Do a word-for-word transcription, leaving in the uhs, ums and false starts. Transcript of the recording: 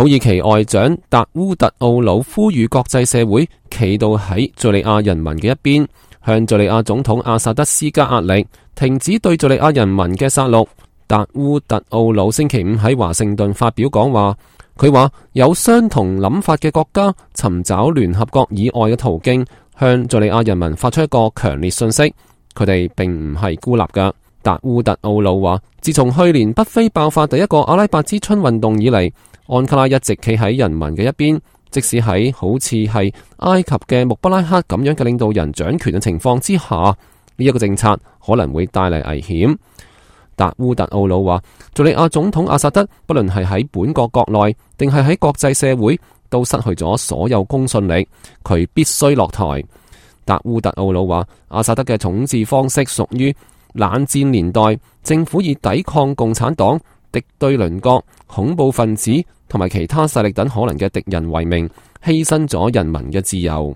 土耳其外長達烏特奧魯呼籲國際社會企到喺敘利亞人民嘅一邊，向敘利亞總統阿薩德施加壓力，停止對敘利亞人民嘅殺戮。達烏特奧魯星期五喺華盛頓發表講話，佢話有相同諗法嘅國家尋找聯合國以外嘅途徑，向敘利亞人民發出一個強烈訊息，佢哋並唔係孤立㗎。達烏特奧魯話，自從去年北非爆發第一個阿拉伯之春運動以嚟，安卡拉一直企喺人民嘅一邊，即使喺好似係埃及嘅穆巴拉克咁樣嘅領導人掌權嘅情況之下，呢、這、一個政策可能會帶嚟危險。達烏特奧魯話，敘利亞總統阿薩德不論係喺本國國內定係喺國際社會都失去咗所有公信力，佢必須落台。達烏特奧魯話，阿薩德嘅統治方式屬於冷戰年代，政府以抵抗共產黨、敵對鄰國、恐怖分子同埋其他勢力等可能嘅敵人為名，犧牲咗人民嘅自由。